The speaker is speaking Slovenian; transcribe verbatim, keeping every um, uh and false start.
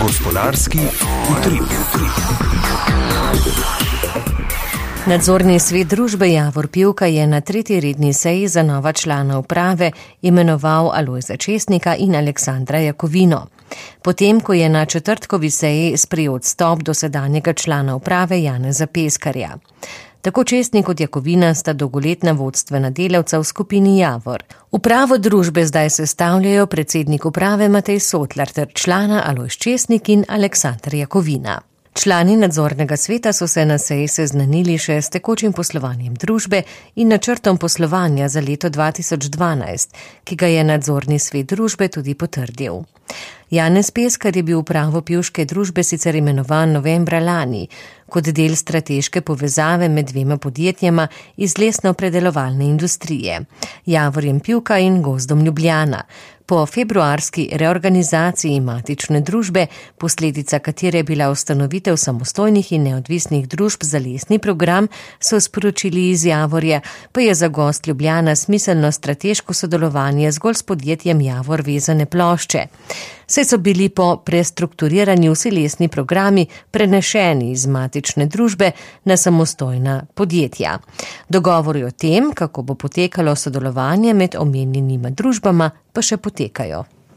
Gospodarski utrip. Nadzorni svet družbe Javor Pivka je na tretji redni seji za nova člana uprave imenoval Alojza Česnika in Aleksandra Jakovino. Potem, ko je na četrtkovi seji sprejel odstop dosedanjega člana uprave Janeza Peskarja. Tako Česnik kot Jakovina sta dolgoletna vodstvena delavca v skupini Javor. Upravo družbe zdaj sestavljajo predsednik uprave Matej Sotlar ter člana Alojz Česnik in Aleksandr Jakovina. Člani nadzornega sveta so se na seji seznanili še s tekočim poslovanjem družbe in načrtom poslovanja za leto dva tisoč dvanajst, ki ga je nadzorni svet družbe tudi potrdil. Janez Peskar je bil v upravo pivške družbe sicer imenovan novembra lani, kot del strateške povezave med dvema podjetjema iz lesno-predelovalne industrije, Javorjem Pivka in Gozdom Ljubljana. Po februarski reorganizaciji matične družbe, posledica katere je bila ustanovitev samostojnih in neodvisnih družb za lesni program, so sporočili iz Javorja, pa je za Gozd Ljubljana smiselno strateško sodelovanje zgolj s podjetjem Javor vezane plošče. Saj so bili po prestrukturiranju vsi lesni programi prenešeni iz matične družbe na samostojna podjetja. Dogovori o tem, kako bo potekalo sodelovanje med omenjenima družbama, pa še potekajo.